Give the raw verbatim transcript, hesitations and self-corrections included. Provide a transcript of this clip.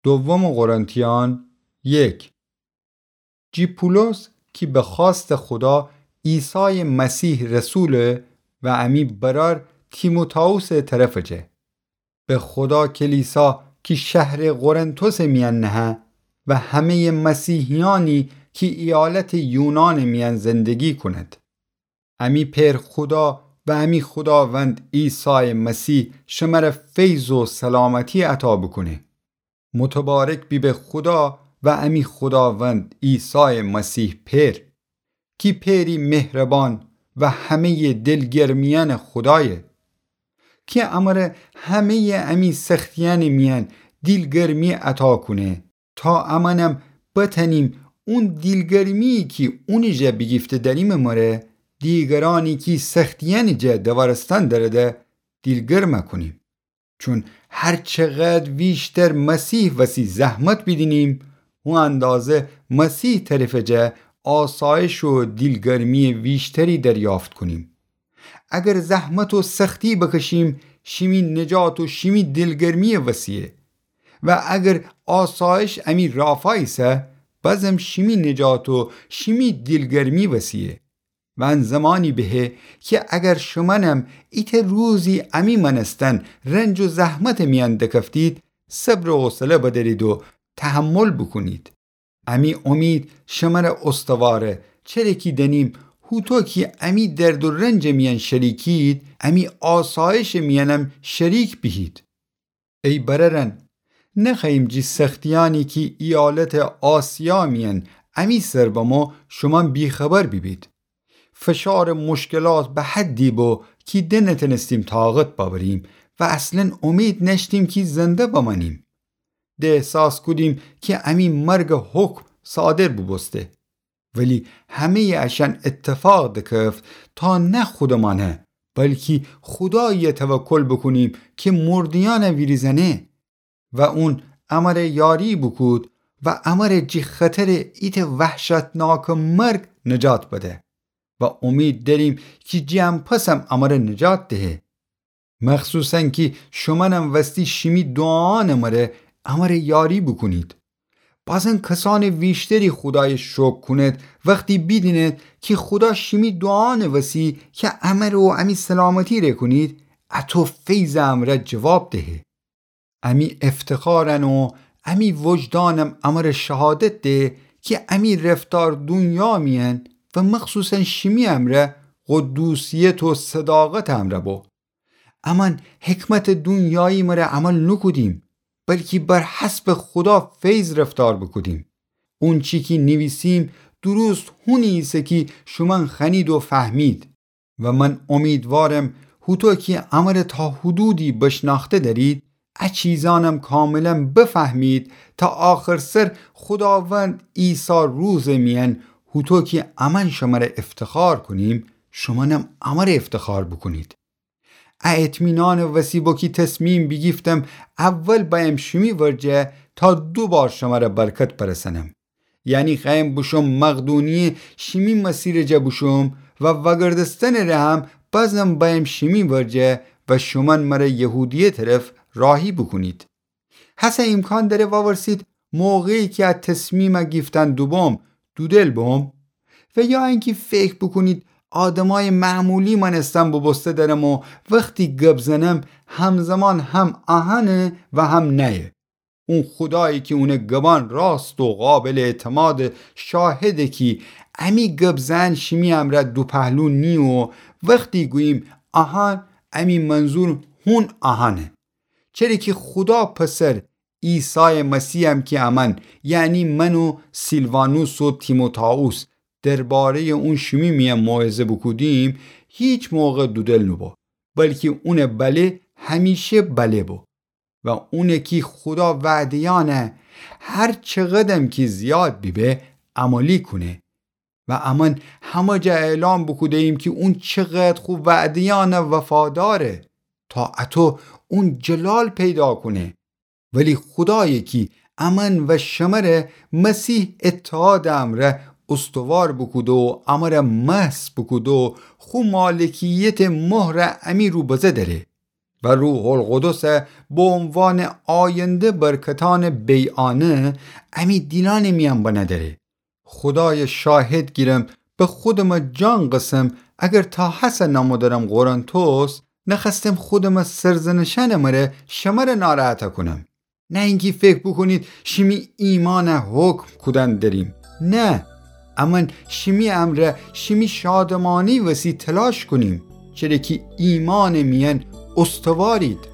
دوم قرنتیان یک. جی پولس کی به خوأست خودا عیسای مسیح رسوله و امی برأر تیموتائوسٚ طرفٚ جه. به خودا کلیسا کی شهرٚ قرنتوسٚ میأن نهه و همه‌یٚ مسیحیأنی کی ایالتٚ یونانٚ میأن زندگی کونید. امی پئر خودا و امی خوداوند عیسای مسیح شمر فیض و سلامتی عطا بوکونه. متبارک بیبه خودا و امی خوداوند عیسای مسیح پئر، کی پئری مهربان و همه‌یٚ دلگرمیأنٚ خودایه، کی امر همه‌یٚ امی سختیأنٚ میأن دیلگرمی عطا کونه، تا امأنم بتأنیم اون دیلگرمی‌یی کی اونٚ جا بیگیفته دأریمٚ مره، دیگرأنی کی سختیأنٚ جا دوارستن دأرده، دیلگرم کونیم. چون هر چقدر ویشتر مسیح وسی زحمت بیدینیم، او اندازه مسیح طرفٚ جا آسایش و دیلگرمی‌یٚ ویشتری دریافت کونیم. اگر زحمت و سختی بکشیم، شیمی نجات و شیمی دیلگرمی‌یٚ وسیه. و اگر آسایش امی رافا ایسه، بازم شیمی نجات و شیمی دیلگرمی وسیه. و ان زمانی بهه کی اگر شومأنم ایتأ روزی امی مأنستن رنج و زحمتٚ میأن دکفتید، صبر و حوصله بدأرید و تحمل بوکونید. امی امید شمر استواره، چره کی دأنیم هوطو کی امی درد و رنجٚ میأن شریکید، امی آسایشٚ میأنم شریک بیهید. ای برأرأن، نخوأییم جی سختیأنی کی ایالتٚ آسیا میأن امی سر بمو شومأن بی‌خبر بیبید. فشارٚ مشکلات به حدی بو کی ده نتأنستیم طاقت بأوریم و اصلا امید نأشتیم کی زنده بمأنیم. ده احساس کودیم کی امی مرگٚ حکم صادر بوبوسته. ولی همه‌یٚ اشأن اتفاق دکفت تا نه خودٚ مأنه، بلکی خودایی‌یه توکل بوکونیم کی مرده‌یأنه ویریزأنه. و اون امر یاری بوکود و امر جی خطرٚ ایتأ وحشتناکٚ مرگ نجات بده. و امید دأریم کی جی ان‌پسم امر نجات دهه. مخصوصا کی شومأنم وستی شیمی دوعایأنٚ مره امر یاری بوکونید. بازم کسأنٚ ویشتری خودایٚ شکر کونید وختی بیدینید کی خودا شیمی دوعایأنٚ وسی کی امر و امی سلامتی ره کونید، اطو فیضٚ امرأ جواب دهه. امی افتخارأن و امی وجدانم امر شهادت ده کی امی رفتار دونیا میأن و مخصوصا شیمی امرأ قدوسیت و صداقتٚ امرأ بو. امأن حکمتٚ دونیایی مره عمل نوکودیم، بلکی بر حسبٚ خودا فیض رفتار بوکودیم. اونچی کی نیویسیم درست هونی ایسه کی شومأن خوأنید و فهمید. و من امیدوارم هوطو کی امر تا حدودی بشنأخته دأرید، ا چیزأنم کاملا بفهمید تا آخرسر خوداوند عیسی روزٚ میأن هوطو کی امأن شمر افتخار کونیم، شومأنم امر افتخار بوکونید. ا اطمینانٚ وسی بو کی تصمیم بیگیفتم اول بأیم شیمی ورجه تا دو بار شمر برکت برسأنم. یعنی خوأیم بوشوم مقدونیه شیمی مسیرٚ جا بوشوم و وأگردستنٚ ره هم بازم بأیم شیمی ورجه و شومأن مر یهودیه طرف راهی بوکونید. هسه ایمکان دأره وأورسید موقعی کی ا تصمیمه گیفتن دوبوم، دودل بوم؟ و یا اینکی فکر بوکونید آدمأیٚ معمولی مأنستن بوبوسته دأرم و وختی گب زنم همزمان هم اهنه و هم نأیه. اون خودایی کی اونٚ گبأن راست و قابلٚ اعتماده، شاهده کی امی گب زئن شیمی امرأ دوپهلو نییه و وختی گوییم اهن، امی منظور هون اهنه. چره کی خودا پسر عیسایٚ مسیحم کی امأن، یعنی من و سیلوانوس و تیموتائوس، درباره‌یٚ اون شیمی میأن موعظه بوکودیم، هیچ موقع دودل نوبو، بلکی اونٚ بله همیشه بله بو. و اونه کی خودا وعده‌یأنه هر چقدرم کی زیاد بیبه عملی کونه. و امأن همه جا اعلام بوکوده‌ییم کی اون چقدر خو وعده‌یأنه وفاداره، تا اطو اون جلال پیدا کونه. ولی خودایی کی امأن و شمره مسیح اتحادٚ امرأ استوار بوکوده و امره مسح بوکوده و خو مالکیتٚ مهره امی رو بزه دأره. و روح‌القدس به عنوان آینده برکتأنٚ بیعانه امی دیلأنٚ میأن بنه دأره. خودایَ شاهد گیرم، به خودمٚ جان قسم، اگر تا هسه نامو دأرم قرنتس، نخوأستم خودمٚ سرزنشأنٚ مره شمره ناراحت کونم. نه اینکی فکر بوکونید شیمی ایمأنَ حکم کودن دأریم. نه، امأن شیمی امرأ شیمی شادمأنی وسی تلاش کونیم، چره کی ایمأنٚ میأن استوارید.